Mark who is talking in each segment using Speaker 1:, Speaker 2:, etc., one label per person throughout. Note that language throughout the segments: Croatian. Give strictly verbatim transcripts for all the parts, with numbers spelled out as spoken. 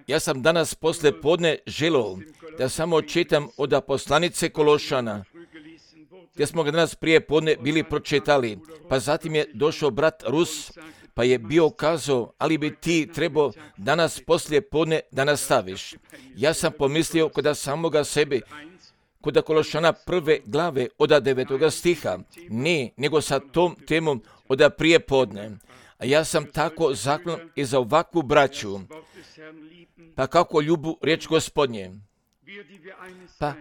Speaker 1: Ja sam danas posle podne želio da samo čitam od poslanice Kološana, gdje smo ga danas prije podne bili pročitali, pa zatim je došao brat Rus, pa je bio kazao, ali bi ti trebao danas poslije podne da nastaviš. Ja sam pomislio kod samoga sebe, kod Kološana prve glave od devetoga stiha, ne, nego sa tom temom od prije podne. A ja sam tako zaklon i za ovakvu braću, pa kako ljubu riječ Gospodnje, pa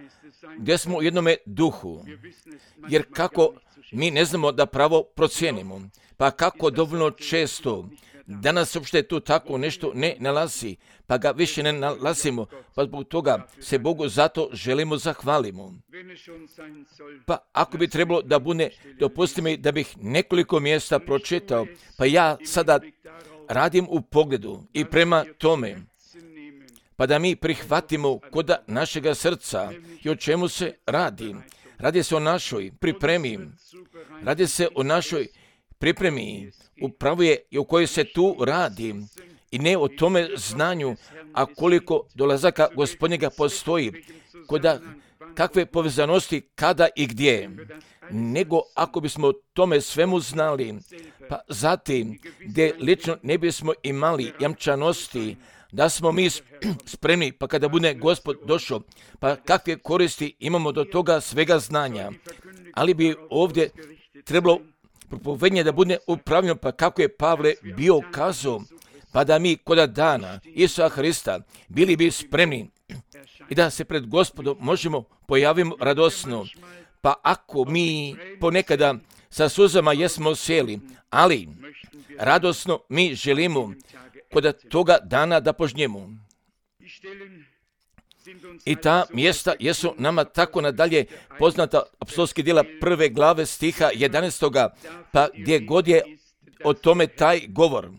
Speaker 1: gdje smo u jednome duhu, jer kako mi ne znamo da pravo procijenimo, pa kako dovoljno često danas uopšte tu tako nešto ne nalazi, pa ga više ne nalazimo, pa zbog toga se Bogu zato želimo zahvalimo. Pa ako bi trebalo da bude, dopusti mi da bih nekoliko mjesta pročitao, pa ja sada radim u pogledu i prema tome, pa da mi prihvatimo kod našega srca i o čemu se radi. Radi se o našoj pripremi, radi se o našoj pripremi, upravo je i o kojoj se tu radi i ne o tome znanju, a koliko dolazaka Gospodnjega postoji, koda kakve povezanosti, kada i gdje, nego ako bismo tome svemu znali, pa zatim gdje lično ne bismo imali jamčanosti, da smo mi spremni, pa kada bude Gospod došao, pa kakve koristi imamo do toga svega znanja. Ali bi ovdje trebalo propovednje da bude upravljeno, pa kako je Pavle bio kazao, pa da mi kod dana Isusa Hrista bili bi spremni i da se pred Gospodom možemo pojaviti radosno. Pa ako mi ponekada sa suzama jesmo sjeli, ali radosno mi želimo kod toga dana da požnjemo. I ta mjesta jesu nama tako nadalje poznata apostolski djela prve glave stiha jedanaestoga, pa gdje god je o tome taj govor,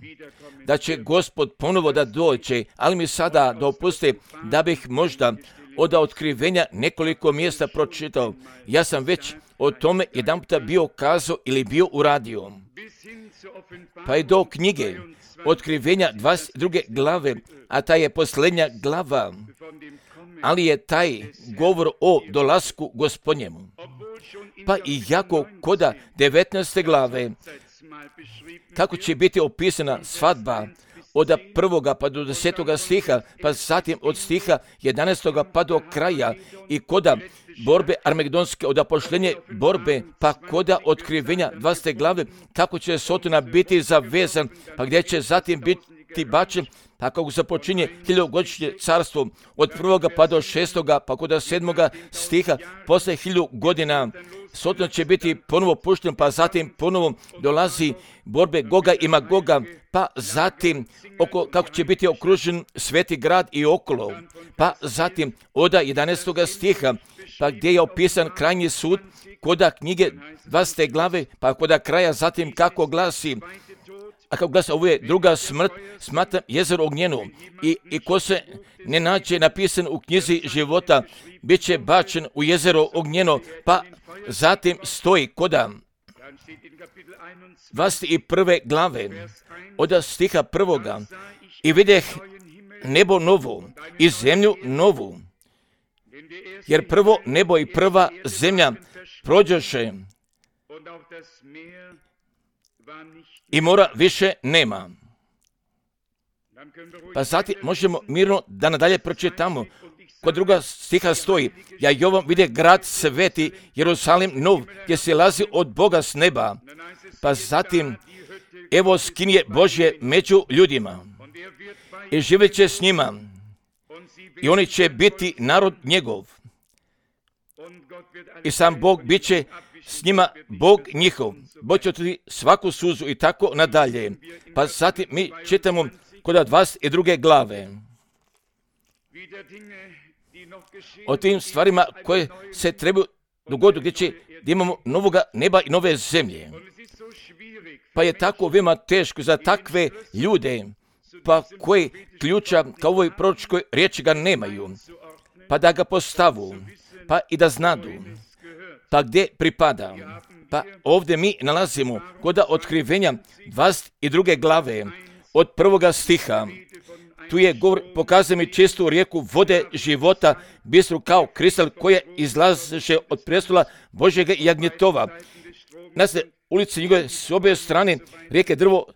Speaker 1: da će Gospod ponovo da dođe, ali mi sada dopuste da bih možda od otkrivenja nekoliko mjesta pročitao. Ja sam već o tome jedan puta bio kazao ili bio uradio. Pa je do knjige otkrivenja dvadeset druge glave, a ta je posljednja glava, ali je taj govor o dolasku Gospodnjemu. Pa i jako koda devetnaeste glave, kako će biti opisana svadba od prvoga pa do desetoga stiha, pa zatim od stiha jedanaestoga pa do kraja i koda borbe armagedonske, od pošljenje borbe, pa koda otkrivenja dvadesete glave, kako će Sotona biti zavezan, pa gdje će zatim biti bačen, pa kako započinje hiljadugodišnje carstvo od prvoga pa do šestoga, pa kod sedmoga stiha, posle hiljadu godina, Soton će biti ponovo pušten, pa zatim ponovo dolazi borbe Goga i Magoga, pa zatim oko, kako će biti okružen sveti grad i okolo, pa zatim od jedanaestoga stiha, pa gdje je opisan krajnji sud, koda knjige dvadesete glave, pa koda kraja zatim kako glasi, a kako glasi, ovo je druga smrt, smatra jezero ognjeno i, i ko se ne nađe napisan u knjizi života, bit će bačen u jezero ognjeno, pa zatim stoji koda dvadeset prve glave od stiha prvoga i videh nebo novo i zemlju novu, jer prvo nebo i prva zemlja prođoše i mora više nema. Pa zatim možemo mirno da nadalje pročitamo. Kod druga stiha stoji, ja Jovan vide grad sveti, Jerusalim nov, gdje se lazi od Boga s neba. Pa zatim, evo skinje Božje među ljudima i živjet će s njima i oni će biti narod njegov. I sam Bog bit će s njima Bog njihov. Bog će otrti svaku suzu i tako nadalje. Pa zatim mi čitamo kod dvadeset druge glave o tim stvarima koje se trebaju dogoditi, gdje će da imamo novoga neba i nove zemlje. Pa je tako veoma teško za takve ljude, pa koji ključa kao ovoj proročkoj riječi ga nemaju, pa da ga postavu, pa i da znadu, pa gdje pripada. Pa ovdje mi nalazimo kod otkrivenja dvadeset druge glave od prvoga stiha, Tu je govor, pokazuje mi čistu rijeku vode života, bistru kao kristal koja izlaže od prestola Božjega jagnjetova. Na se ulici njegove s obje strane rijeke drvo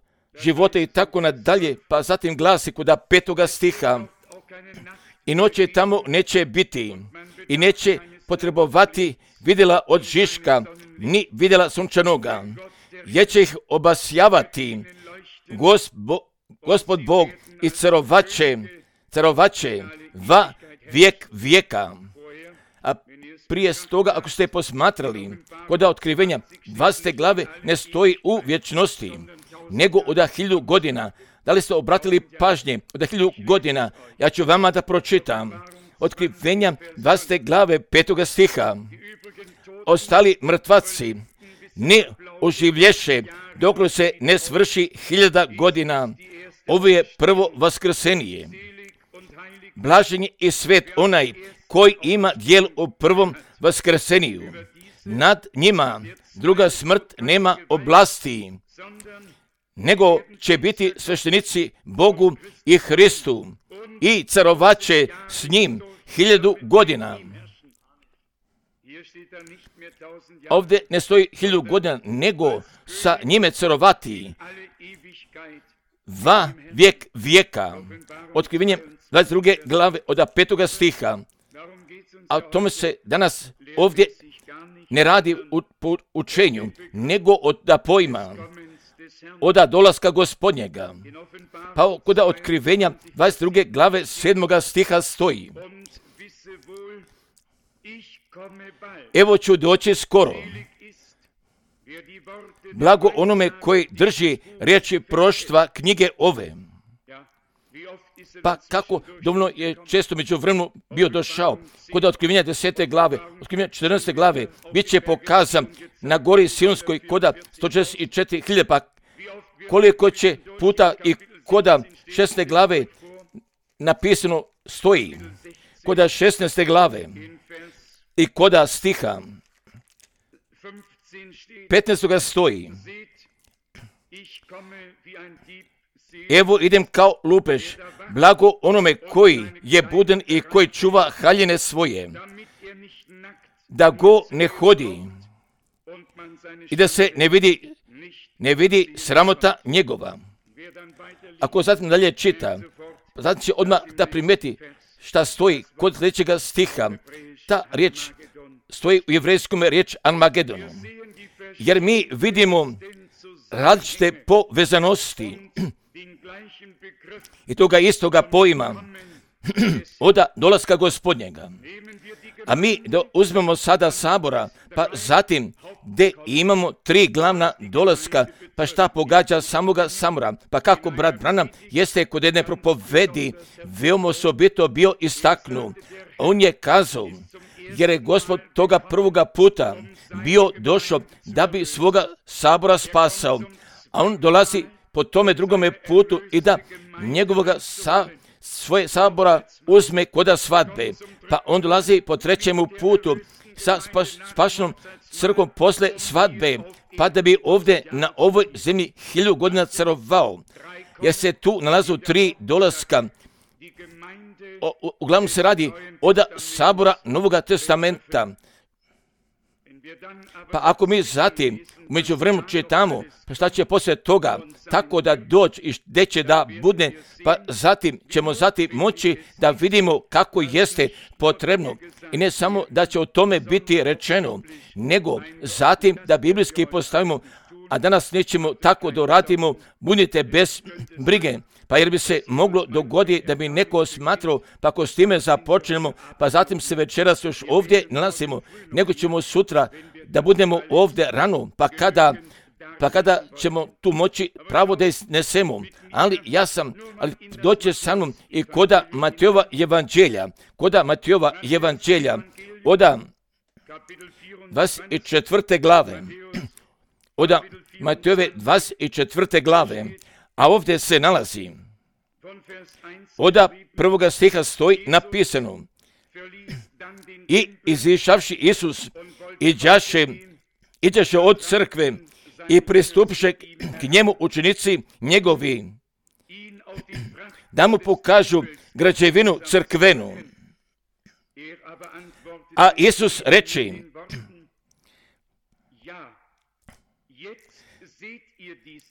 Speaker 1: života i tako nadalje, pa zatim glasi kuda petoga stiha. I noće tamo neće biti i neće potrebovati vidjela od Žiška, ni vidjela sunčanoga, jer će ih obasjavati Gospo, Gospod Bog i carovaće, carovaće va vijek vijeka. A prije toga, ako ste posmatrali, kod otkrivenja dvadesete glave ne stoji u vječnosti, nego od hiljadu godina. Da li ste obratili pažnje od hiljadu godina? Ja ću vama da pročitam. Otkrivenja dvadesete glave petoga stiha. Ostali mrtvaci ne oživlješe dok se ne svrši hiljada godina. Ovo je prvo vaskrsenije. Blažen je i svet onaj koji ima djel u prvom vaskrseniju. Nad njima druga smrt nema oblasti, nego će biti sveštenici Bogu i Hristu i carovaće s njim hiljadu godina. Ovdje ne stoji hiljadu godina, nego sa njime carovati va vijek vijeka. Otkrivenje dvadeset druge glave od petoga stiha. A o tome se danas ovdje ne radi u učenju, nego od pojma, od dolaska Gospodnjega. Pa kod otkrivenja dvadeset druge glave sedmoga stiha stoji: evo ću doći skoro. Blago onome koji drži riječi proštva knjige ove. Pa kako dovoljno je često među vremenu bio došao kod otkrivenja desete glave, otkrivenja četrnaeste glave, bit će pokazan na gori Sionskoj koda sto šezdeset četiri hiljade, pa koliko će puta i koda šesnaeste glave napisano stoji, koda šesnaeste glave i koda stiha petnaestoga stoji: evo idem kao lupež, blago onome koji je budan i koji čuva haljine svoje, da go ne hodi i da se ne vidi, ne vidi sramota njegova. Ako zatim dalje čita, zatim će odmah da primeti šta stoji kod sljedećega stiha. Ta riječ stoji u jevrejskom riječ Armagedonu. Jer mi vidimo različite povezanosti i toga istoga pojma od dolaska Gospodnjega. A mi da uzmemo sada sabora, pa zatim gdje imamo tri glavna dolaska, pa šta pogađa samoga samora, pa kako brat Branham jeste kod jedne propovedi veoma osobito bio istaknu. On je kazao, jer je Gospod toga prvoga puta bio došao da bi svoga sabora spasao, a on dolazi po tome drugome putu i da njegovoga sa, svoje sabora uzme koda svadbe, pa on dolazi po trećemu putu sa spas, spašenom crkvom posle svadbe, pa da bi ovdje na ovoj zemlji hiljadu godina carovao, jer se tu nalazu tri dolaska. O, u, uglavnom se radi od sabora Novoga testamenta. Pa ako mi zatim među vremenu čitamo, pa šta će poslije toga, tako da doći i gdje će da bude, pa zatim ćemo zatim moći da vidimo kako jeste potrebno. I ne samo da će o tome biti rečeno, nego zatim da biblijski postavimo, a danas nećemo tako da radimo, budite bez brige. Pa jer bi se moglo dogoditi da bi neko smatrao, pa ako s time započnemo, pa zatim se večeras još ovdje nalazimo, nego ćemo sutra da budemo ovdje rano, pa kada, pa kada ćemo tu moći pravo da iznesemo. Ali ja sam, ali doće sa mnom i koda Matejova evanđelja, koda Matejova evanđelja, oda dvadeset četvrte glave, oda Matejove dvadeset četvrte glave, a ovdje se nalazi, oda prvoga stiha stoji napisano: i izišavši Isus, iđaše, iđaše od crkve i pristupiše k njemu učenici njegovi da mu pokažu građevinu crkvenu. A Isus reče,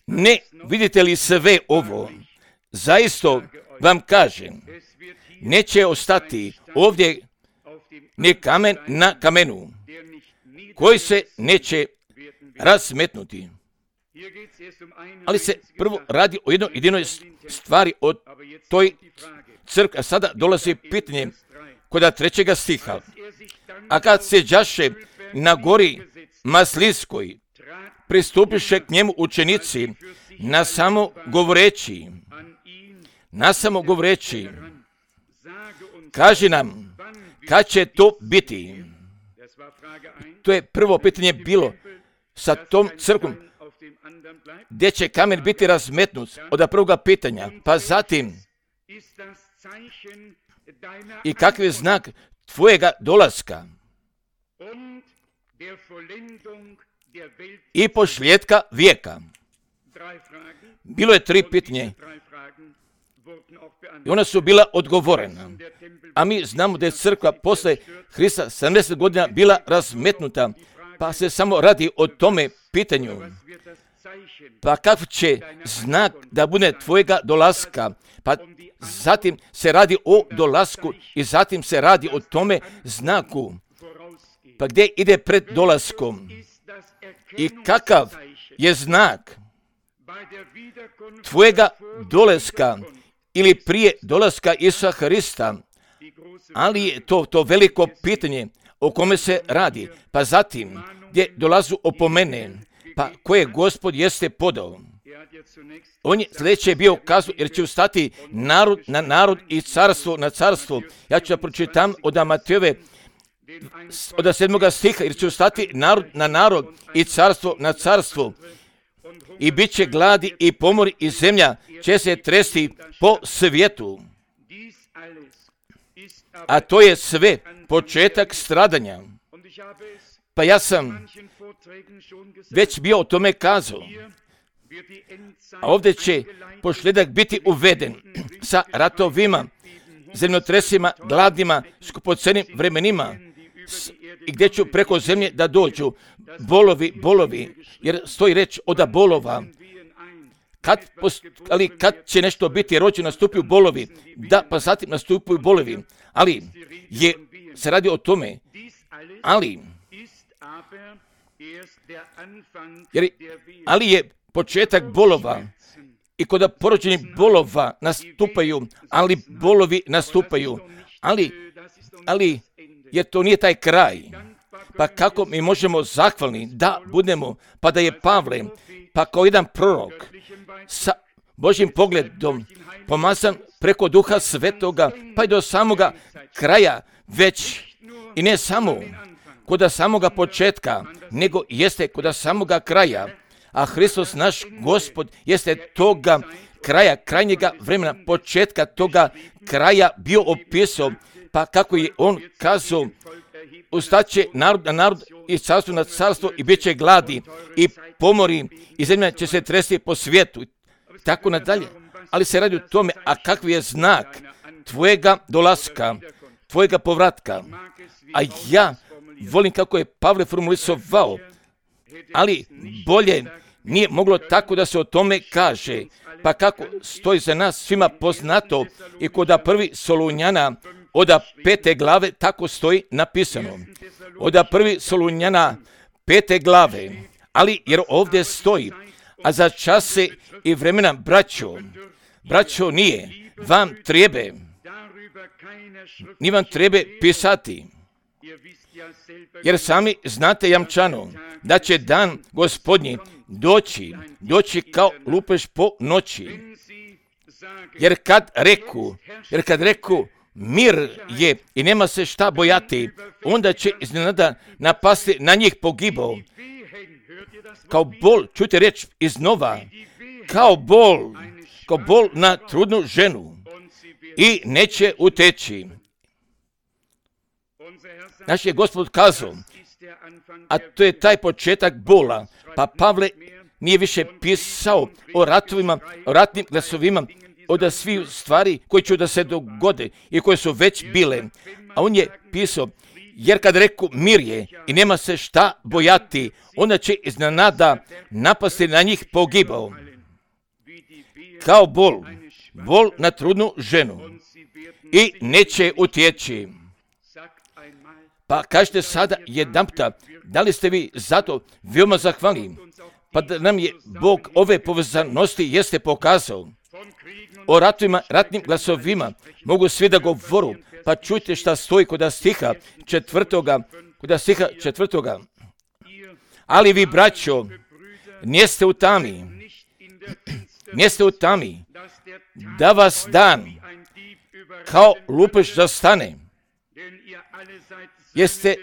Speaker 1: ne vidite li sve ovo? Zaista vam kažem, neće ostati ovdje ni kamen na kamenu, koji se neće razmetnuti. Ali se prvo radi o jednoj jedinoj stvari, o toj crkvi. A sada dolazi pitanje kod trećega stiha. A kad se đaše na gori Maslinskoj, pristupiše k njemu učenici, na samo govoreći, na samo govoreći, kaži nam, kad će to biti? To je prvo pitanje bilo sa tom crkvom, gdje će kamen biti razmetnut od prvoga pitanja, pa zatim i kakav je znak tvojega dolaska i pošljetka vijeka. Bilo je tri pitanje i ona su bila odgovorena. A mi znamo da je crkva posle Hrista sedamdeset godina bila razmetnuta, pa se samo radi o tome pitanju. Pa kakav će znak da bude tvojega dolaska? Pa zatim se radi o dolasku i zatim se radi o tome znaku. Pa gdje ide pred dolaskom? I kakav je znak tvojega dolaska ili prije dolaska Isusa Hrista? Ali je to, to veliko pitanje o kome se radi. Pa zatim gdje dolazu opomene, pa koje Gospod jeste podao. On je sljedeće bio kazao, jer će ustati narod na narod i carstvo na carstvo. Ja ću da pročitam od Matejove, od sedmoga stiha, jer će ustati narod na narod i carstvo na carstvo. I bit će gladi i pomori i zemlja će se tresti po svijetu. A to je sve početak stradanja. Pa ja sam već bio o tome kazao. A ovdje će pošljedak biti uveden sa ratovima, zemljotresima, gladima, skupocenim vremenima, i gdje ću preko zemlje da dođu bolovi, bolovi, jer stoji reč od bolova. Kad, ali kad će nešto biti rođeno, nastupaju bolovi, da, pa zatim nastupaju bolovi, ali je, se radi o tome, ali, jer, ali je početak bolova i kod porođenih bolova nastupaju, ali bolovi nastupaju, ali, ali jer to nije taj kraj. Pa kako mi možemo zahvalni da budemo, pa da je Pavle, pa kao jedan prorok sa Božjim pogledom pomazan preko Duha Svetoga, pa i do samoga kraja već, i ne samo kod samoga početka, nego jeste kod samoga kraja. A Hristos naš Gospod jeste toga kraja, krajnjega vremena, početka toga kraja bio opisao, pa kako je on kazao, ustaće narod na narod i carstvo na carstvo i bit će gladi i pomori i zemlja će se tresti po svijetu. Tako nadalje. Ali se radi o tome, a kakvi je znak tvojega dolaska, tvojega povratka. A ja volim kako je Pavle formulisovao, ali bolje nije moglo tako da se o tome kaže. Pa kako stoji za nas svima poznato i kod prvi Solunjana od pete glave tako stoji napisano. Od prvi Solunjana pete glave, ali jer ovdje stoji, a za čase i vremena, braćo, braćo nije, vam trebe, ni vam trebe pisati, jer sami znate jamčano da će dan Gospodnji doći, doći kao lupež po noći. Jer kad reku, jer kad reku mir je i nema se šta bojati, onda će iznenada napasti na njih pogibao. Kao bol, čujte reč iznova, kao bol, kao bol na trudnu ženu i neće uteći. Naš je Gospod kazao, a to je taj početak bola, pa Pavle nije više pisao o ratovima, o ratnim glasovima od svih stvari koje će da se dogode i koje su već bile. A on je pisao, jer kad reku mir je i nema se šta bojati, onda će iznenada napasti na njih pogibao. Kao bol, bol na trudnu ženu i neće utjeći. Pa kažete sada jedanputa, da li ste vi zato veoma zahvalni? Pa da nam je Bog ove povezanosti jeste pokazao. O ratovima, ratnim glasovima mogu svi da govoru, pa čujte šta stoji kod stiha četvrtoga, kod stiha četvrtoga. Ali vi, braćo, niste u tami, niste u tami, da vas dan kao lupež zastane. Jeste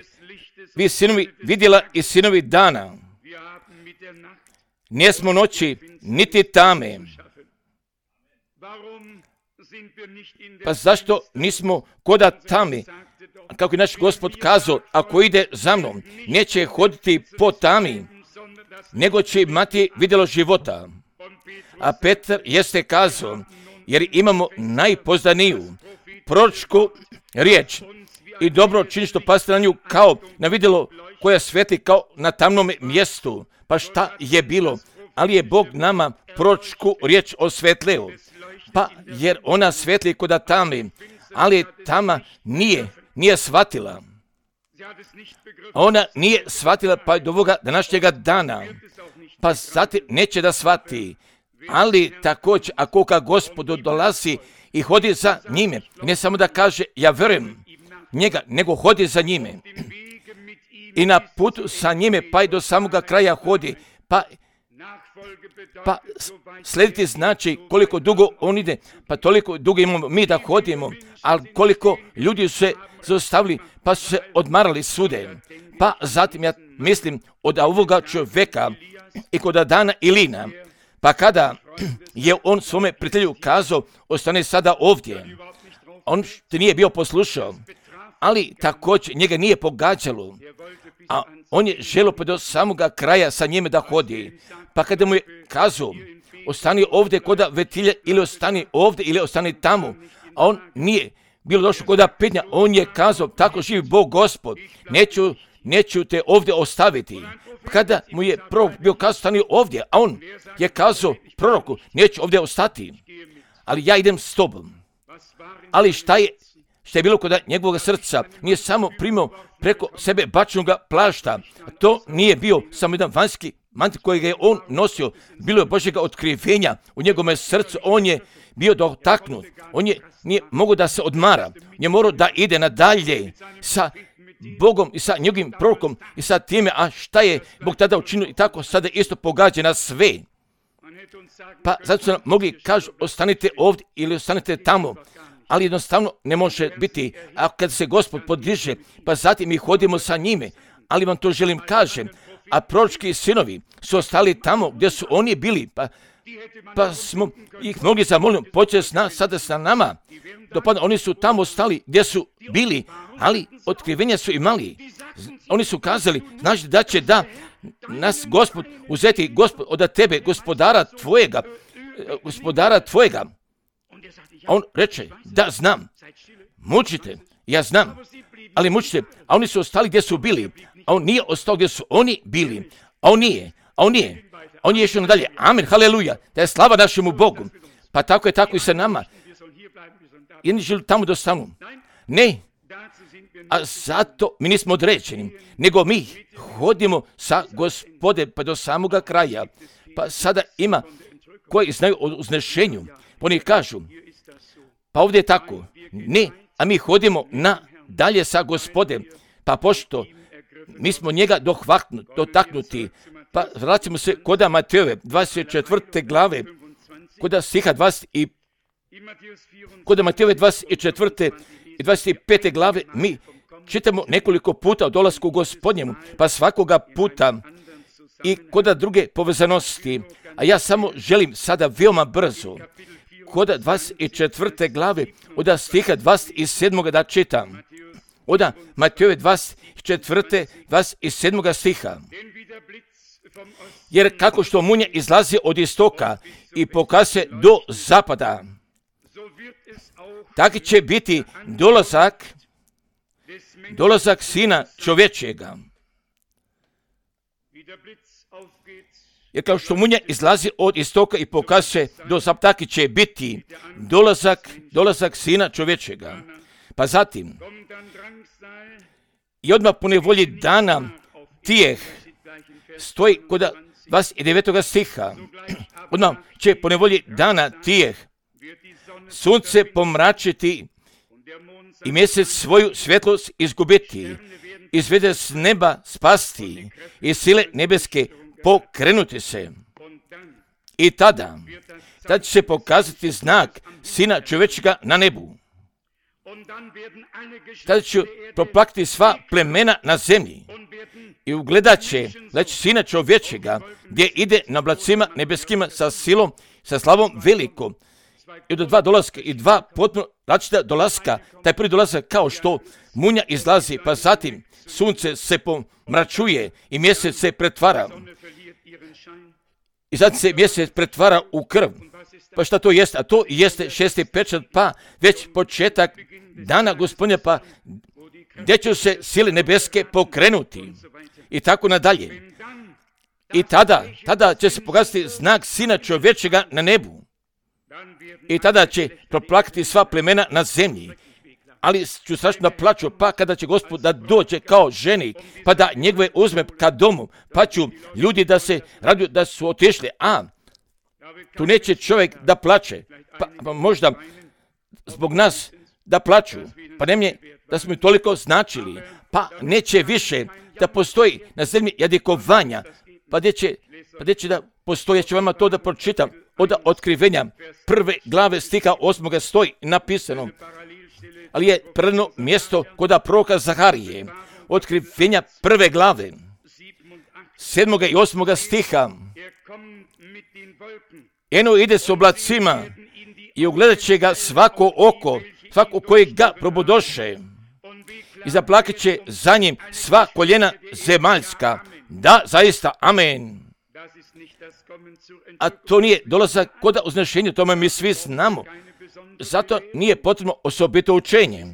Speaker 1: vi sinovi vidjela i sinovi dana. Nismo noći niti tame. Pa zašto nismo koda tami? Kako je naš Gospod kazao, ako ide za mnom, neće hoditi po tami, nego će imati vidjelo života. A Petar jeste kazao, jer imamo najpozdaniju proročku riječ i dobro čini što paste na nju kao na vidjelo koja svetli kao na tamnom mjestu. Pa šta je bilo? Ali je Bog nama proročku riječ osvetlio. Pa jer ona svetli koda tami, ali tama nije, nije shvatila. Ona nije shvatila pa do ovoga današnjega dana. Pa zatim neće da shvati. Ali također, ako ka Gospodu dolazi i hodi za njime, ne samo da kaže ja vjerujem njega, nego hodi za njime. I na putu sa njime pa i do samoga kraja hodi. Pa Pa slediti znači koliko dugo on ide, pa toliko dugo imamo mi da hodimo, ali koliko ljudi su se zaustavili, pa su se odmarali sude. Pa zatim ja mislim od ovoga čovjeka i kod Dana i Lina, pa kada je on svome prijatelju kazao, ostane sada ovdje, on te nije bio poslušao, ali također njega nije pogađalo, a on je želio pa do samoga kraja sa njime da hodi. Pa kada mu je kazao, ostani ovdje koda vetilje ili ostani ovdje ili ostani tamo, a on nije bilo došao koda pitnja, on je kazao, tako živi Bog Gospod, neću, neću te ovdje ostaviti. Kada mu je prorok bio kazao, stani ovdje, a on je kazao proroku, neću ovdje ostati, ali ja idem s tobom. Ali šta je, šta je bilo kod njegovog srca, nije samo primao preko sebe bačnoga plašta, to nije bio samo jedan vanjski mantil kojeg je on nosio, bilo je Božjega otkrivenja u njegovom srcu, on je bio dotaknut, on je nije mogao da se odmara, on je morao da ide nadalje sa Bogom i sa njegovim prorokom i sa time, a šta je Bog tada učinio i tako sada isto pogađa na sve. Pa zato su nam mogli kažu, ostanite ovdje ili ostanite tamo, ali jednostavno ne može biti, a kad se Gospod podiže, pa zatim mi hodimo sa njime, ali vam to želim kažem, a proročki sinovi su ostali tamo gdje su oni bili, pa, pa smo ih mogli zamoliti, počeli s sada sa nama, dopadno, oni su tamo ostali gdje su bili, ali otkrivenja su imali. Oni su kazali, znaš da će da nas Gospod uzeti Gospod od tebe, gospodara tvojega, gospodara tvojega. A on reče, da znam, mučite, ja znam, ali mučite, a oni su ostali gdje su bili, a on nije ostao gdje su oni bili, a on nije, a on nije, a on je išao nadalje, amen, haleluja, da je slava našemu Bogu, pa tako je tako i sa nama, jedni želi tamo da ostanu, ne, a zato mi nismo određeni, nego mi hodimo sa Gospode pa do samoga kraja, pa sada ima koji znaju o uznešenju, oni kažu, pa ovdje je tako, ne, a mi hodimo na dalje sa Gospodem, pa pošto mi smo njega dotaknuti, pa vracimo se koda Matejove dvadeset četvrte glave, koda stiha dvadeset i koda Matejove dvadeset četvrte i dvadeset pete glave, mi čitamo nekoliko puta o dolasku Gospodnjemu, pa svakoga puta i koda druge povezanosti, a ja samo želim sada veoma brzo, koda dvadeset četvrte glave, od stiha dvadeset sedmog da čitam. Od Matejove dvadeset četvrte, dvadeset sedmog stiha. Jer kako što munja izlazi od istoka i pokaže do zapada, tako će biti dolazak, dolazak Sina čovječjega. Jer kao što munja izlazi od istoka i pokazuje do zapad, tako će biti dolazak, dolazak Sina čovječjega. Pa zatim, i odmah po nevolji dana tijeh stoji kod dvadeset devetoga stiha. Odmah će po nevolji dana tijeh sunce pomračiti i mjesec svoju svjetlost izgubiti, izvede s neba spasti i sile nebeske pokrenuti se. I tada, tada će se pokazati znak Sina čovječega na nebu. Tada će proplakati sva plemena na zemlji i ugledat će, da će Sina čovječega gdje ide na oblacima nebeskima sa silom, sa slavom velikom. I do dva dolaska i dva potpuno različita dolaska. Taj prvi dolazak kao što munja izlazi, pa zatim sunce se pomračuje i mjesec se pretvara. I zatim se mjesec pretvara u krv. Pa šta to jeste? A to jeste šesti pečat, pa već početak dana Gospodnja, pa gdje će se sile nebeske pokrenuti. I tako nadalje. I tada, tada će se pokazati znak Sina čovječega na nebu. I tada će proplakati sva plemena na zemlji. Ali ću strašno da plaću, pa kada će Gospod da dođe kao ženik, pa da njegove uzme ka domu, pa ću ljudi da se raduju da su otišli, a tu neće čovjek da plaće, pa, pa možda zbog nas da plaću, pa ne da smo toliko značili, pa neće više da postoji na zemlji jadikovanja, pa gdje će, pa gdje će da postoji, ja ću vama to da pročitam, od otkrivenja prve glave stiha osmoga stoji napisano, ali je prvo mjesto kod proroka Zaharije, otkrivenja prve glave, sedmoga i osmoga stiha. Eno ide s oblacima i ugledat će ga svako oko, svako koje ga probudoše. I zaplakat će za njim sva koljena zemaljska. Da, zaista, amen. A to nije dolazak kod uznešenja, tome mi svi znamo. Zato nije potrebno osobito učenje.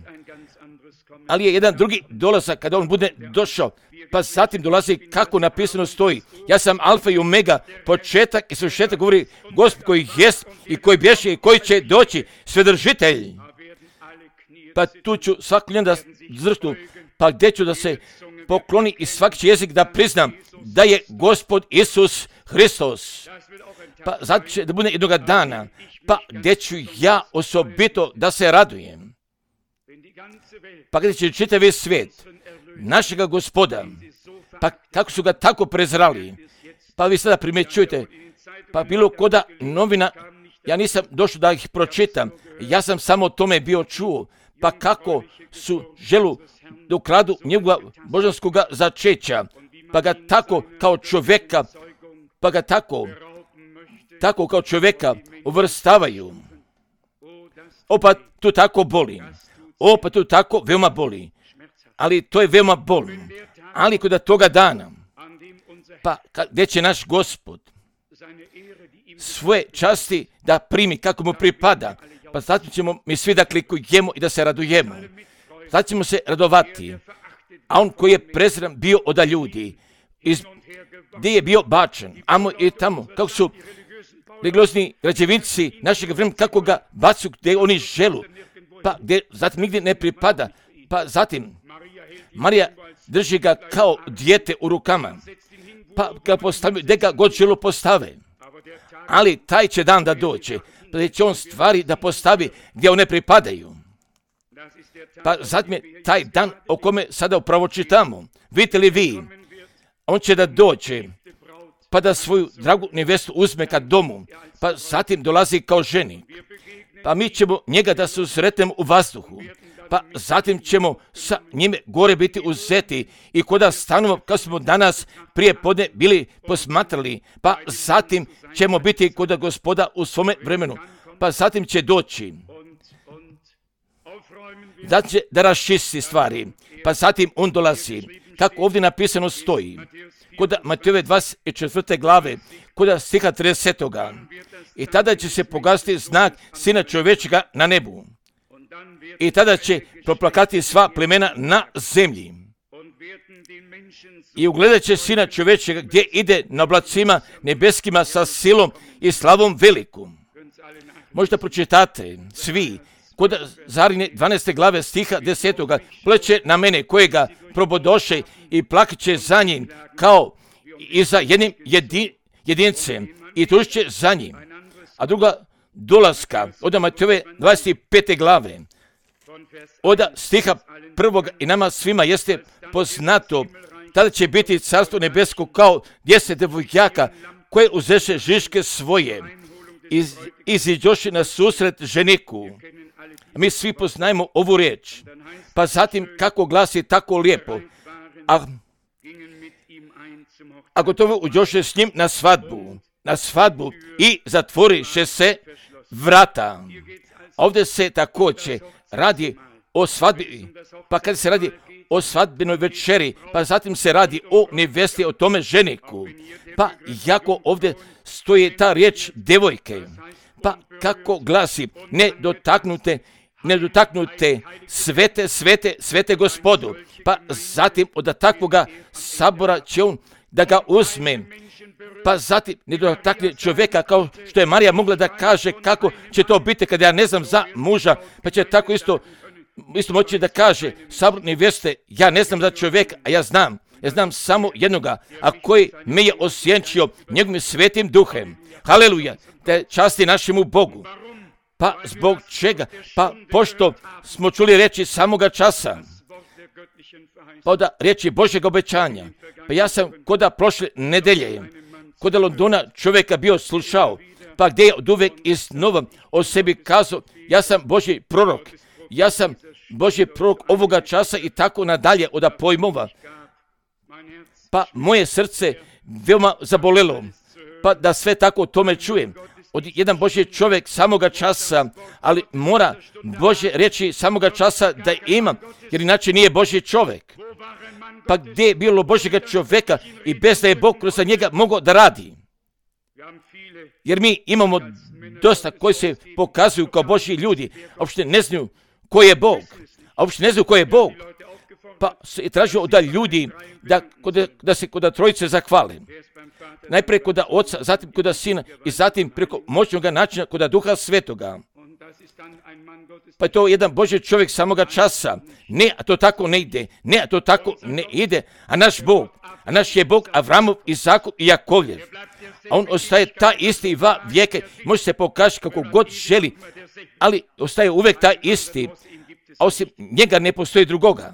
Speaker 1: Ali je jedan drugi dolazak kada on bude došao, pa zatim dolazi kako napisano stoji. Ja sam alfa i omega, početak i svršetak, govori Gospod koji jest i koji bješe i koji će doći, svedržitelj. Pa tu ću svaki ljen da zrštu, pa gdje ću da se pokloni i svaki će jezik da priznam da je Gospod Isus Hristos. Pa zato će da bude jednoga dana, pa gdje ću ja osobito da se radujem. Pa gdje će čitavi svijet našega Gospoda, pa kako su ga tako prezrali, pa vi sada primjećujete, pa bilo koda novina, ja nisam došao da ih pročitam, ja sam samo o tome bio čuo, pa kako su želu da ukradu njegova božanskoga začeća, pa ga tako kao čovjeka, pa ga tako, tako kao čovjeka uvrstavaju. Opa, tu tako boli. Opa, tu tako veoma boli. Ali to je veoma boli. Ali kod toga dana, pa gdje će naš Gospod svoje časti da primi kako mu pripada, pa zato ćemo mi svi da klikujemo i da se radujemo. Zato ćemo se radovati. A on koji je prezran bio od ljudi, iz, gdje je bio bačen, amo i tamo, kako su religiozni građevinci našeg vremena, kako ga bacu gdje oni želu, pa gdje zatim nigdje ne pripada, pa zatim Marija drži ga kao dijete u rukama, pa ga postavljaju, gdje ga god želu postave. Ali taj će dan da dođe, pa će on stvari da postavi gdje one pripadaju. Pa zatim je taj dan o kome sada upravo čitamo. Vidite li vi, on će da dođe, pa da svoju dragu nevestu uzme ka domu, pa zatim dolazi kao ženik. Pa mi ćemo njega da se usretnemo u vazduhu, pa zatim ćemo sa njime gore biti uzeti i koda stanemo, kao smo danas prije podne bili posmatrali, pa zatim ćemo biti kod Gospoda u svome vremenu, pa zatim će doći, da će da raščisti stvari, pa zatim on dolazi, kako ovdje napisano stoji. Kod Matejove dvadeset četvrte glave, kod stiha tridesetoga. I tada će se pogasiti znak Sina čovječega na nebu. I tada će proplakati sva plemena na zemlji. I ugledat će Sina čovječega gdje ide na oblacima nebeskima sa silom i slavom veliku. Možda pročitate svi kod Zarine dvanaeste glave stiha desetoga. Pleće na mene kojega probodoše i plakat će za njim kao i za jednim jedi, jedincem i tužit će za njim. A druga dolaska od Matejove dvadeset pete glave od stiha prvog i nama svima jeste poznato. Tada će biti carstvo nebesko kao deset devojaka koje uzeše žiške svoje i iziđoše na susret ženiku. Mi svi poznajemo ovu riječ. Pa zatim kako glasi tako lijepo. A, a gotovo uđoše s njim na svadbu. Na svadbu i zatvoriše se vrata. Ovdje se također radi o svadbi. Pa kad se radi o svadbenoj večeri, pa zatim se radi o nevesti, o tome ženiku. Pa jako ovdje stoji ta riječ devojke. Pa kako glasi, nedotaknute, nedotaknute, svete, svete, svete Gospodu. Pa zatim od takvoga sabora će on da ga uzme. Pa zatim ne dotakne čovjeka kao što je Marija mogla da kaže kako će to biti kada ja ne znam za muža, pa će tako isto isto moći da kaže sabor nevjeste, ja ne znam za čovjeka, a ja znam, ja znam samo jednoga, a koji me je osjenčio njegovim svetim duhem. Haleluja, te časti našemu Bogu. Pa zbog čega? Pa pošto smo čuli reći samoga časa, pa od riječi Božjeg obećanja. Pa ja sam koda prošle nedelje, koda Londona čovjeka bio slušao, pa gdje je od uvek iznova o sebi kazao, ja sam Božji prorok, ja sam Božji prorok ovoga časa i tako nadalje od pojmova. Pa moje srce veoma zabolelo, pa da sve tako o tome čujem. Od jedan Božji čovjek samoga časa, ali mora Božje reći samoga časa da ima, jer inače nije Božji čovjek. Pa gdje je bilo Božjega čovjeka i bez da je Bog kroz njega mogao da radi. Jer mi imamo dosta koji se pokazuju kao Božji ljudi, a uopšte ne znaju ko je Bog. A uopšte ne znaju ko je Bog. Pa se traži od ljudi da, da, da se kod trojice zahvale. Najprije kod Oca, zatim kod Sina i zatim preko moćnog načina kod Duha Svetoga. Pa je to jedan Božji čovjek samoga časa. Ne, a to tako ne ide. Ne, a to tako ne ide. A naš Bog, a naš je Bog Avramov, Izakov i Jakovljev. A on ostaje ta isti va vijeke. Može se pokazati kako god želi, ali ostaje uvijek ta isti. A osim njega ne postoji drugoga.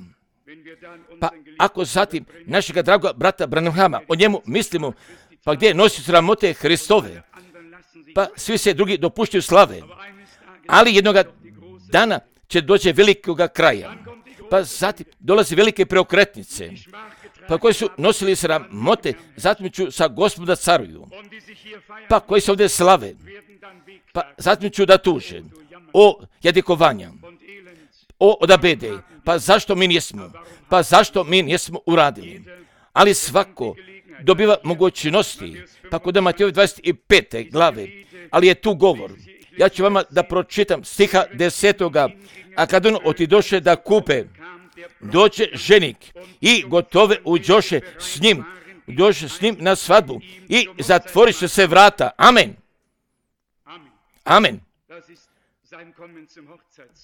Speaker 1: Pa ako zatim našega dragoga brata Branhama, o njemu mislimo, pa gdje nosi sramote Hristove, pa svi se drugi dopuštaju slave. Ali jednoga dana će doći velikoga kraja. Pa zatim dolazi velike preokretnice, pa koji su nosili sramote, zatim ću sa Gospoda caruju. Pa koji se ovdje slave, pa zatim ću da tuže o jadikovanja, o odabede. Pa zašto mi nismo? Pa zašto mi nismo uradili? Ali svako dobiva mogućnosti. Pa kod Matejove dvadeset pete glave, ali je tu govor. Ja ću vama da pročitam stiha desetoga. A kad on otidoše da kupe, doće ženik i gotove uđoše s njim, dođe s njim na svadbu i zatvoriše se vrata. Amen. Amen.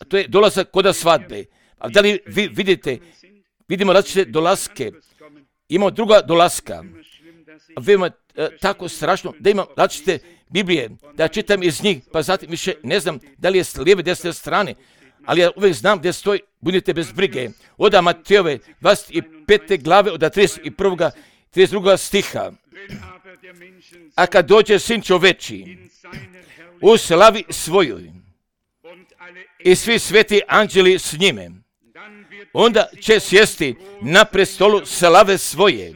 Speaker 1: A to je dolazak kod svadbe. A da li vi vidite, vidimo različite dolaske, imamo druga dolaska. Veoma e, tako strašno da imam različite Biblije, da čitam iz njih, pa zatim više ne znam da li je s lijeve desne strane, ali ja uvijek znam gdje stoji, budite bez brige. Od Matejove dvadeset pete glave, od trideset prvog trideset drugog stiha. A kad dođe Sin čoveči u slavi svojoj i svi sveti anđeli s njime, onda će sjesti na prestolu slave svoje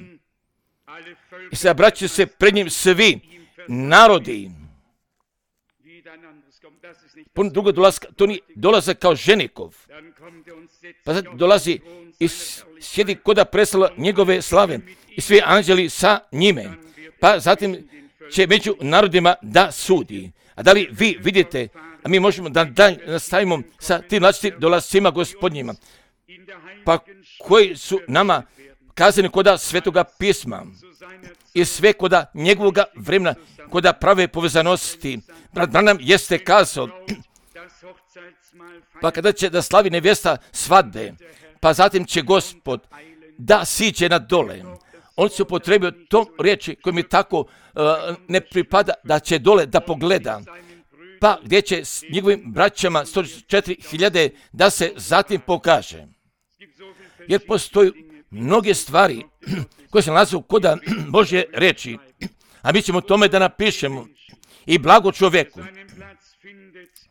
Speaker 1: i sabraće se pred njim svi narodi. Pun drugo dolaska, to nije dolazak kao ženikov. Pa sad dolazi i sjedi koda presala njegove slave i svi anđeli sa njime. Pa zatim će među narodima da sudi. A da li vi vidite, a mi možemo da dalje nastavimo sa tim različitim dolascima gospodnjima, pa koji su nama kazani koda Svetoga pisma i sve koda njegovoga vremena, koda prave povezanosti. Brat Branham jeste kazao, pa kada će da slavi nevjesta svadbe, pa zatim će Gospod da siđe na dole. On se upotrebio tom riječi koji mi tako uh, ne pripada, da će dole da pogleda, pa gdje će s njegovim braćama sto četiri hiljade da se zatim pokaže. Jer postoji mnoge stvari koje se nalaze u koda Božje reči, a mi ćemo tome da napišemo i blago čovjeku,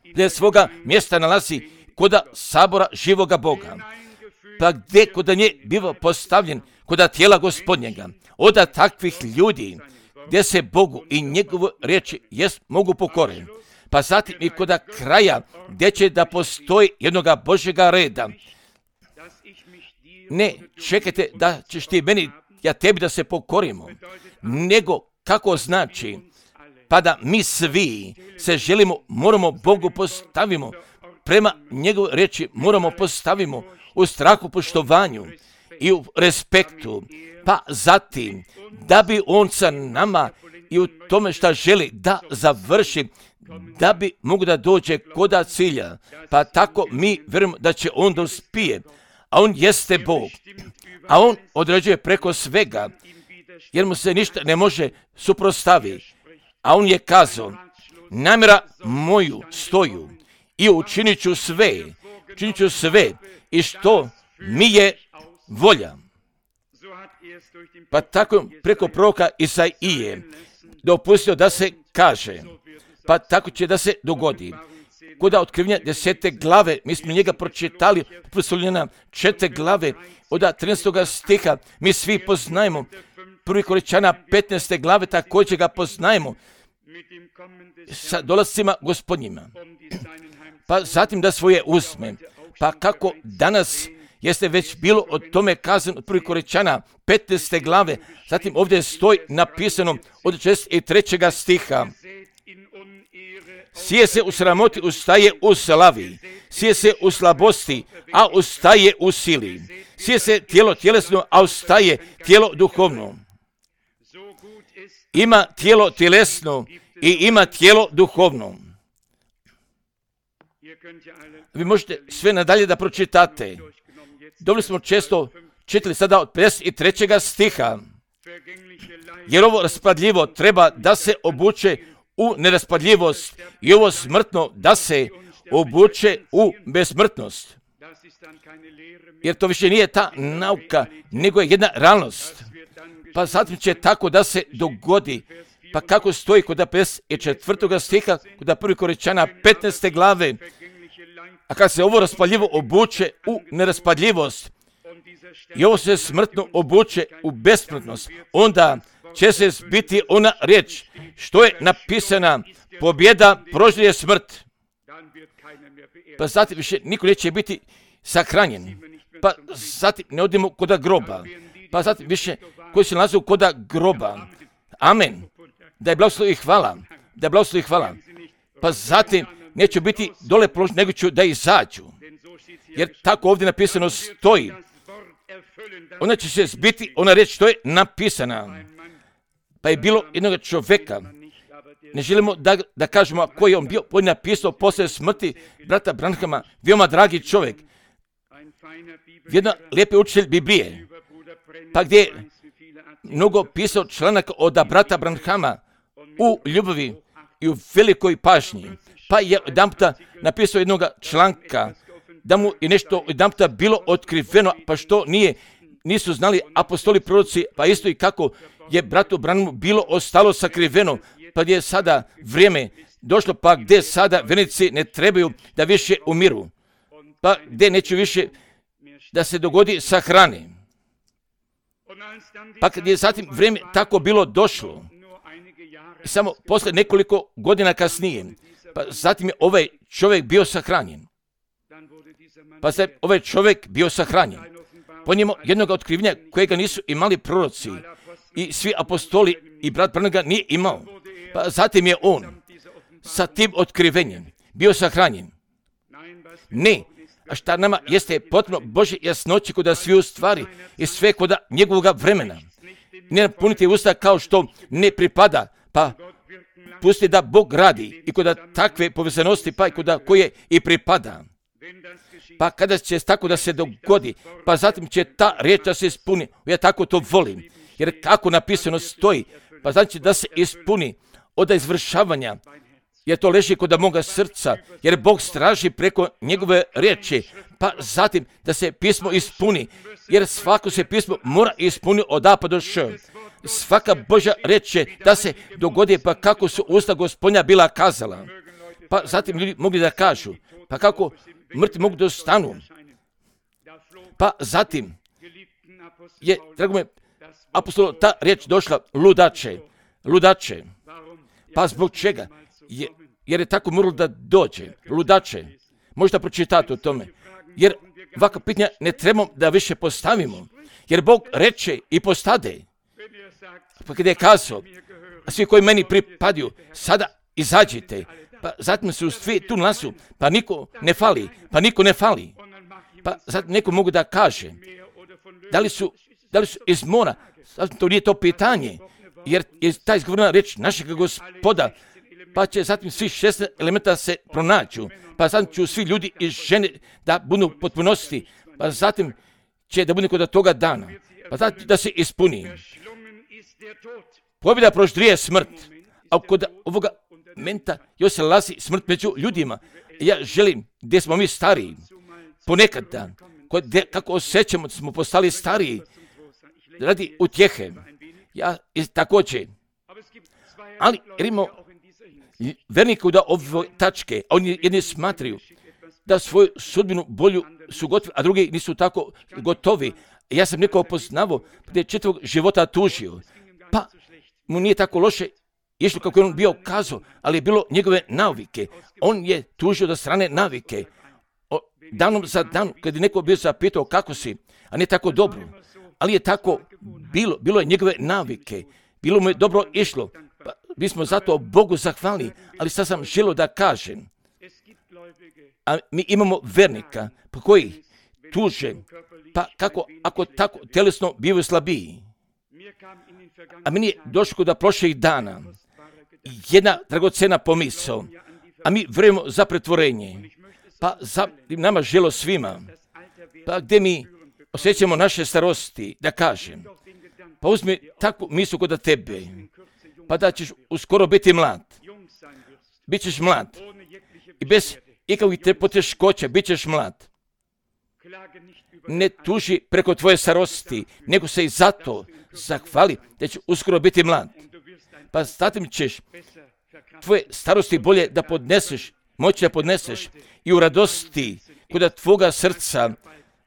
Speaker 1: gdje svoga mjesta nalazi koda sabora živoga Boga, pa gdje koda nje biva postavljen koda tijela gospodnjega, oda takvih ljudi gdje se Bogu i njegovo riječi jest mogu pokoriti. Pa zatim i koda kraja gdje će da postoji jednoga Božjega reda. Ne čekajte da ćeš ti meni, ja tebi da se pokorimo, nego kako znači, pa da mi svi se želimo, moramo Bogu postavimo, prema njegovoj riječi moramo postavimo u strahu, poštovanju i u respektu, pa zatim da bi on sa nama i u tome šta želi da završi, da bi mogu da dođe koda cilja, pa tako mi vjerujemo da će on da uspije, a on jeste Bog, a on određuje preko svega, jer mu se ništa ne može suprotstaviti, a on je kazao, namjera moju stoju i učinit ću sve, učinit ću sve i što mi je volja. Pa tako preko proroka Isaije dopustio da se kaže, pa tako će da se dogodi. Koda otkrivenja desete glave, mi smo njega pročitali, posljednjena četiri glave, od trinaestog stiha, mi svi poznajemo, prvi Korinćana petnaeste glave, također ga poznajemo, sa dolascima gospodnjima. Pa zatim da svoje uzme, pa kako danas jeste već bilo o tome kazano od prvi Korinćana petnaeste glave, zatim ovdje stoji napisano od šezdeset trećeg stiha. Sije se u sramoti, ustaje u slavi. Sije se u slabosti, a ustaje u sili. Sije se tijelo tjelesno, a ustaje tijelo duhovno. Ima tijelo tjelesno i ima tijelo duhovno. Vi možete sve nadalje da pročitate. Dobro smo često čitali sada od pedeset trećeg stiha. Jer ovo raspadljivo treba da se obuče u neraspadljivost i ovo smrtno da se obuče u besmrtnost. Jer to više nije ta nauka, nego je jedna realnost. Pa zatim će tako da se dogodi. Pa kako stoji kod pedeset četvrtog stiha, kod prvi Korinćana petnaeste glave, a kad se ovo raspadljivo obuče u neraspadljivost i ovo se smrtno obuče u besmrtnost, onda će se zbiti ona riječ što je napisana, pobjeda proždje smrt. Pa zatim više niko neće biti sahranjen. Pa zatim ne odemo koda groba. Pa zatim više koji se nalaze koda groba. Amen. Da je blagoslov i hvala. Da je blagoslov i hvala. Pa zatim neću biti dole položen, nego ću da izađu. Jer tako ovdje napisano stoji. Onda će se zbiti ona riječ što je napisana. Pa je bilo jednog čovjeka, ne želimo da, da kažemo koji je on bio, on je napisao poslije smrti brata Branhama, veoma dragi čovjek, jedna lijepi učitelj Biblije, pa gdje je mnogo pisao članaka od brata Branhama u ljubavi i u velikoj pažnji, pa je jedan puta napisao jednog članka, da mu je nešto jedan puta bilo otkriveno, pa što nije, nisu znali apostoli proroci, pa isto i kako je bratu Branhamu bilo ostalo sakriveno, pa gdje je sada vrijeme došlo, pa gdje sada vernici ne trebaju da više umiru, pa gdje neće više da se dogodi sahrane. Pa kad je zatim vrijeme tako bilo došlo, samo posle nekoliko godina kasnije, pa zatim je ovaj čovjek bio sahranjen. Pa se ovaj čovjek bio sahranjen. Po njemu jednog otkrivenja kojega nisu imali proroci i svi apostoli i brat Branham ga nije imao. Pa zatim je on sa tim otkrivenjem bio sahranjen. Ne, a šta nama jeste potpuno Božje jasnoće kod svi u stvari i sve kod njegovog vremena. Ne napunite usta kao što ne pripada, pa pusti da Bog radi i kod takve povezanosti, pa i kod koje i pripada. Pa kada će tako da se dogodi, pa zatim će ta riječ da se ispuni. Ja tako to volim, jer kako napisano stoji, pa znači da se ispuni od izvršavanja, jer to leži kod moga srca, jer Bog straži preko njegove riječi, pa zatim da se pismo ispuni, jer svako se pismo mora ispuni od A pa do Š. Svaka Božja riječ je da se dogodi, pa kako su usta Gospodnja bila kazala. Pa zatim ljudi mogli da kažu, pa kako mrtvi mogu da stanu. Pa zatim je, drago me, apostol, ta riječ došla ludače, ludače. Pa zbog čega? Je, jer je tako moralo da dođe, ludače. Možda pročitati o tome. Jer ovakva pitanja ne trebamo da više postavimo. Jer Bog reče i postade. Pa kada je kazao, a svi koji meni pripadaju, sada izađite. Pa zatim su svi tu nasu, pa niko ne fali, pa niko ne fali. Pa zatim neko mogu da kaže, da li su, da li su iz mora, to nije to pitanje, jer je ta izgovorena reč našeg Gospoda, pa će zatim svi šest elementa se pronaću, pa zatim ću svi ljudi i žene da budu potpunosti, pa zatim će da bude kod toga dana, pa zatim da se ispuni. Pobjeda proždrije smrt, a kod ovoga momenta još se lazi smrt među ljudima. Ja želim, gdje smo mi stariji, ponekad dan, gdje, kako osjećamo da smo postali stariji, radi utjehe. Ja također, ali imamo vernika da ove tačke, a oni jedni smatraju da svoju sudbinu bolju su gotovi, a drugi nisu tako gotovi. Ja sam nekao poznavao gdje je čitavog života tužio, pa mu nije tako loše išlo kako je on bio kazao, ali je bilo njegove navike. On je tužio do strane navike. O, danom za dan, kad je neko bio zapitao kako si, a ne tako dobro, ali je tako bilo, bilo je njegove navike, bilo mu je dobro išlo. Pa, mi smo zato Bogu zahvalni, ali sad sam želio da kažem, a mi imamo vernika po koji tuže, pa kako ako tako tjelesno bivaju slabiji. A meni je došlo kod prošlih dana jedna dragocena pomisao, a mi vjerujemo za pretvorenje, pa za nama želo svima, pa gdje mi osjećamo naše starosti, da kažem, pa uzmi takvu mislu kod tebe, pa da ćeš uskoro biti mlad, bit ćeš mlad i bez ikakvih poteškoća bit ćeš mlad. Ne tuži preko tvoje starosti, nego se i zato zahvali da će uskoro biti mlad. Pa zatim ćeš tvoje starosti bolje da podneseš, moći da podneseš i u radosti kod tvoga srca,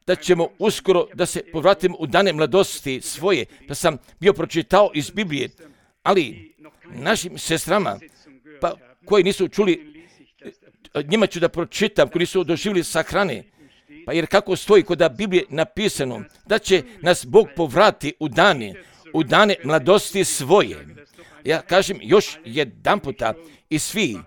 Speaker 1: da ćemo uskoro da se povratimo u dane mladosti svoje. Pa sam bio pročitao iz Biblije, ali našim sestrama, pa koji nisu čuli, njima ću da pročitam, koji nisu doživjeli sahrane, pa jer kako stoji kod Biblije napisano, da će nas Bog povrati u dane, u dane mladosti svoje. Ja kažem još jedan puta i svi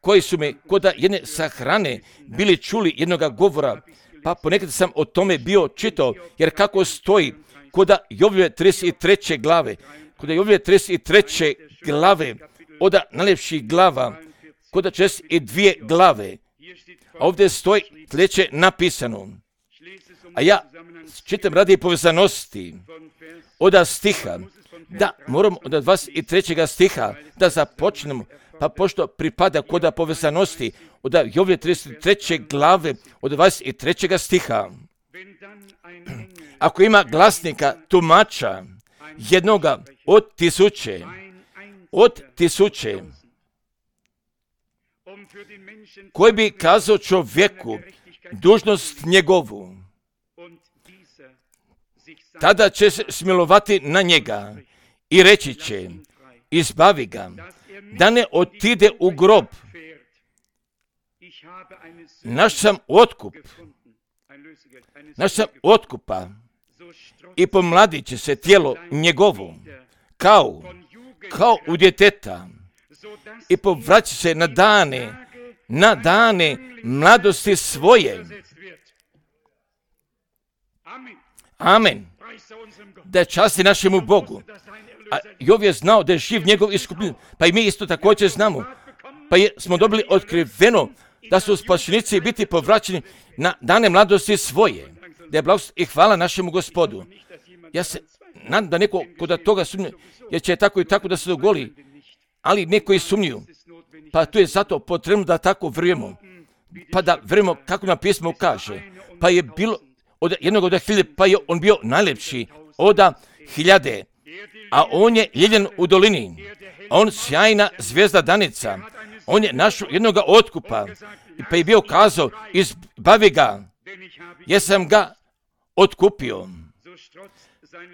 Speaker 1: koji su me kod jedne sahrane bili čuli jednoga govora, pa ponekad sam o tome bio čitao, jer kako stoji kod Jovljeve trideset treće glave, kod Jovljeve trideset treće glave, od najljepših glava, kod četrdeset dvije glave, a ovdje stoji sljedeće napisano, a ja čitam radi povezanosti od stiha, da moramo od dvadeset trećeg stiha da započnemo, pa pošto pripada kod povezanosti od Jovljeve trideset treće glave od dvadeset trećeg stiha. Ako ima glasnika, tumača, jednoga od tisuće, od tisuće, koji bi kazao čovjeku dužnost njegovu, tada će se smilovati na njega i reći će, izbavi ga, da ne otide u grob. Naš sam otkup, naš sam otkupa i pomladit će se tijelo njegovo, kao, kao u djeteta, i povraća se na dane, na dane mladosti svoje. Amen. Da je časti našemu Bogu. A Jov je znao da je živ njegov iskupljen, pa i mi isto također znamo. Pa je, smo dobili otkriveno da su spašenici biti povraćeni na dane mladosti svoje. Da je blagost i hvala našemu Gospodu. Ja se nadam da neko kod toga sumnje, jer će tako i tako da se dogodi, ali neko i sumnju. Pa tu je zato potrebno da tako vjerujemo. Pa da vjerujemo kako nam pismo kaže. Pa je bilo od jednog od hiljade, pa je on bio najljepši od hiljade. A on je ljeljen u dolini. On sjajna zvijezda danica. On je našao jednoga otkupa. Pa je bio kazao, izbavi ga, jer sam ga otkupio.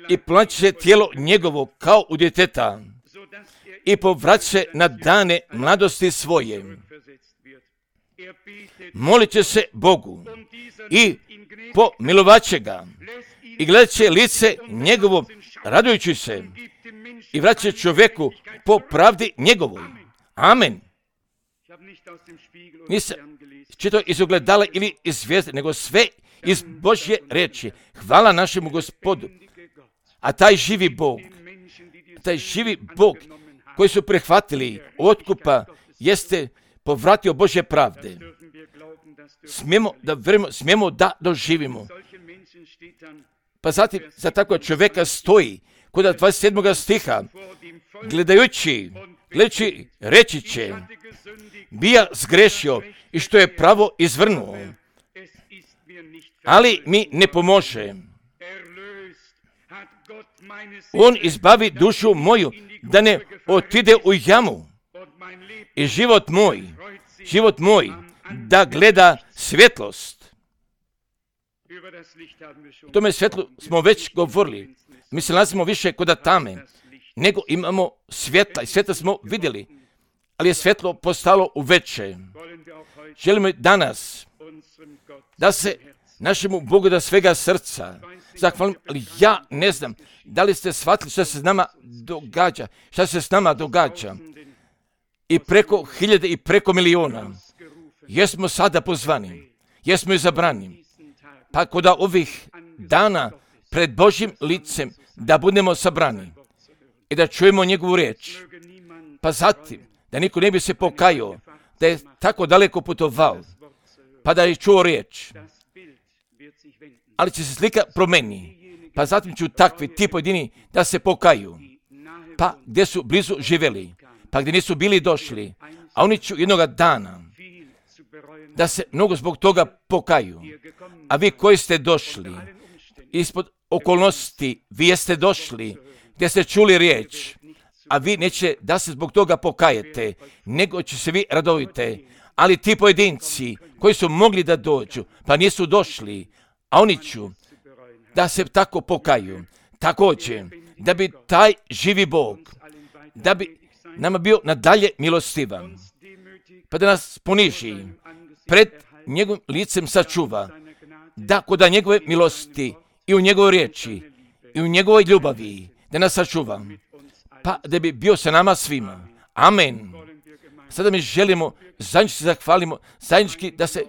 Speaker 1: I plaće se tijelo njegovo kao u djeteta. I povraća se na dane mladosti svoje. Molit će se Bogu i pomilovat će ga. I gledat će lice njegovo radujući se. I vraća čovjeku po pravdi njegovoj. Amen. Nisam čitao iz ogledala ili iz zvijezde, nego sve iz Božje riječi. Hvala našemu Gospodu. A taj živi Bog, taj živi Bog koji su prihvatili otkupa, jeste povratio Božje pravde. Smijemo da vjerujemo, smijemo da doživimo. Pa zatim za takvog čovjeka stoji kod dvadeset sedmog stiha, gledajući, gledajući reći će, bija zgrešio i što je pravo izvrnuo, ali mi ne pomože. On izbavi dušu moju da ne otide u jamu i život moj, život moj da gleda svjetlost. O tome svjetlu smo već govorili. Mi se nalazimo više kod tame, nego imamo svjetla i svjetla smo vidjeli, ali je svjetlo postalo u veće. Želimo danas da se našemu Bogu da svega srca zahvalim, ali ja ne znam da li ste shvatili što se s nama događa, što se s nama događa. I preko hiljade i preko miliona. Jesmo sada pozvani, jesmo izabrani. Pa kod ovih dana pred Božjim licem da budemo sabrani i da čujemo njegovu riječ. Pa zatim, da niko ne bi se pokajao, da je tako daleko putovao, pa da je čuo riječ. Ali će se slika promeni. Pa zatim ću takvi ti pojedini da se pokaju. Pa gdje su blizu živjeli, pa gdje nisu bili došli, a oni će jednoga dana da se mnogo zbog toga pokaju. A vi koji ste došli ispod okolnosti, vi jeste došli gdje ste čuli riječ, a vi neće da se zbog toga pokajete, nego će se vi radovite. Ali ti pojedinci koji su mogli da dođu, pa nisu došli, a oni ću da se tako pokaju. Također, da bi taj živi Bog, da bi nama bio nadalje milostivan, pa da nas poniži, pred njegovim licem sačuva, da kod njegove milosti i u njegovoj riječi i u njegovoj ljubavi, da nas sačuva, pa da bi bio sa nama svima. Amen. Sada mi želimo, zajednički se zahvalimo, zajednički da se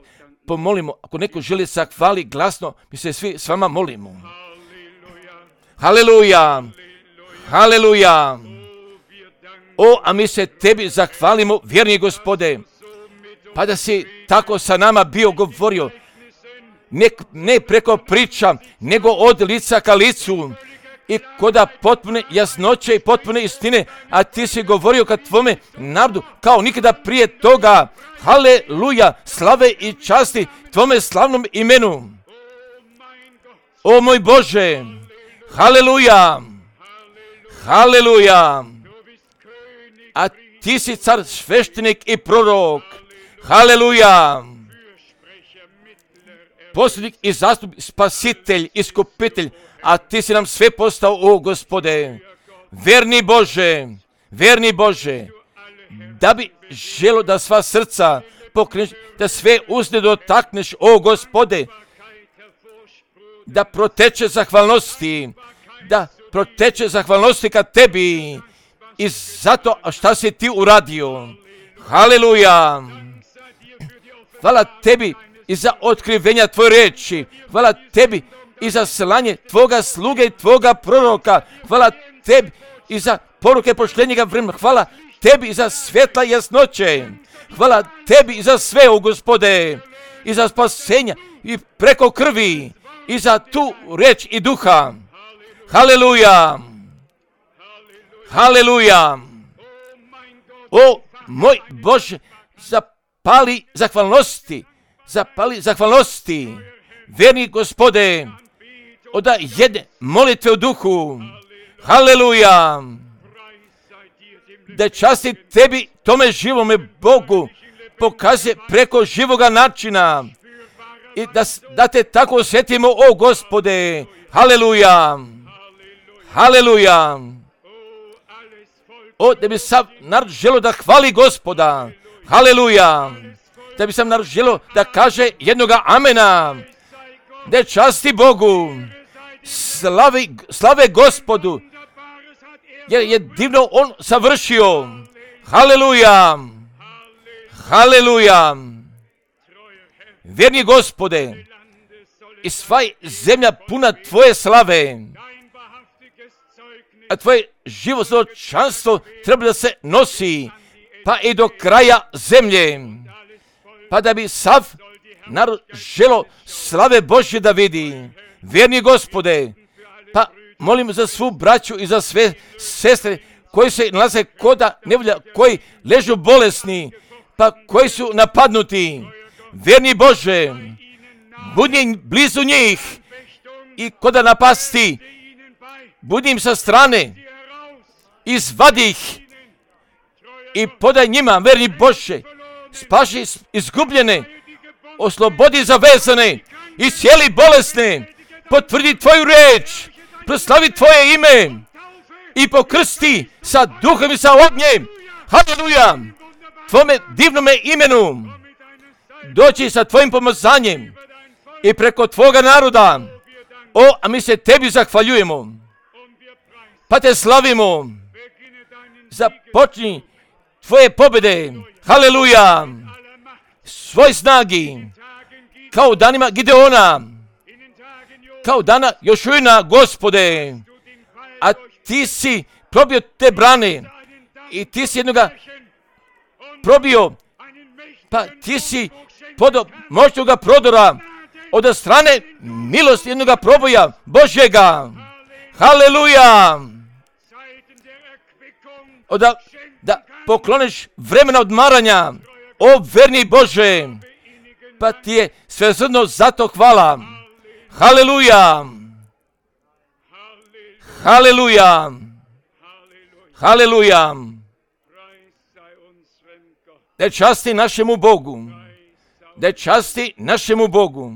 Speaker 1: pomolimo. Ako neko želi se hvali glasno, mi se svi s vama molimo. Haleluja! Haleluja! O, a mi se tebi zahvalimo, vjerni Gospode, pa da si tako sa nama bio govorio, ne, ne preko priča, nego od lica ka licu i koda potpune jasnoće i potpune istine, a ti si govorio ka tvome narodu kao nikada prije toga. Haleluja, slave i časti tvome slavnom imenu. O moj Bože, haleluja, haleluja, a ti si car, sveštenik i prorok. Haleluja, posljednik i zastupnik, spasitelj, iskupitelj, a ti si nam sve postao, o Gospode. Verni Bože, verni Bože, da bi želo da sva srca pokreneš, da sve uzne dotakneš, o Gospode, da proteče zahvalnosti, da proteče zahvalnosti ka tebi i zato šta si ti uradio. Haleluja! Hvala tebi i za otkrivenja tvoje reči. Hvala tebi i za slanje tvoga sluge i tvoga proroka. Hvala tebi i za poruke poštenjega vremena. Hvala tebi i za svjetla jasnoće. Hvala tebi i za sve, o Gospode, i za spasenja i preko krvi i za tu reč i duha. Haleluja! Haleluja! O moj Bože, zapali zahvalnosti, zapali zahvalnosti, verni Gospode, oda jedne molitve u duhu. Haleluja! Da časti tebi, tome živome Bogu, pokazuje preko živoga načina i da, da te tako osjetimo, o Gospode. Haleluja! Haleluja! O, da bi sam narod želo da hvali Gospoda. Haleluja! Da bi sam narod želo da kaže jednoga amena. Da časti Bogu. Slavi, slave Gospodu. Jer je divno on savršio. Haleluja! Haleluja! Vjerni Gospode, i sva zemlja puna tvoje slave, a tvoje živo svjedočanstvo treba da se nosi pa i do kraja zemlje, pa da bi sav narod želo slave Božje da vidi. Vjerni Gospode, pa molim za svu braću i za sve sestre koji se nalaze koda nevolja, koji ležu bolesni, pa koji su napadnuti. Vjerni Bože, budi blizu njih i koda napasti, budi im sa strane, izvadi ih i podaj njima, vjerni Bože, spaši izgubljene, oslobodi zavezane, iscijeli bolesne, potvrdi tvoju reč, proslavi tvoje ime i pokrsti sa duhom i sa ognjem. Haleluja! Tvome divnome imenu doći sa tvojim pomazanjem i preko tvoga naroda. O, a mi se tebi zahvaljujemo, pa te slavimo. Započni tvoje pobjede. Haleluja! Svoj snagi, kao danima Gideona, kao dana Jošujina, Gospode, a ti si probio te brane i ti si jednoga probio, pa ti si podo moćnoga prodora od strane milosti jednoga proboja Božjega. Haleluja! Oda, da pokloniš vremena odmaranja, o verni Bože, pa ti je svesrdno zato hvala. Haleluja! Haleluja! Haleluja! Da časti našemu Bogu, da časti našemu Bogu.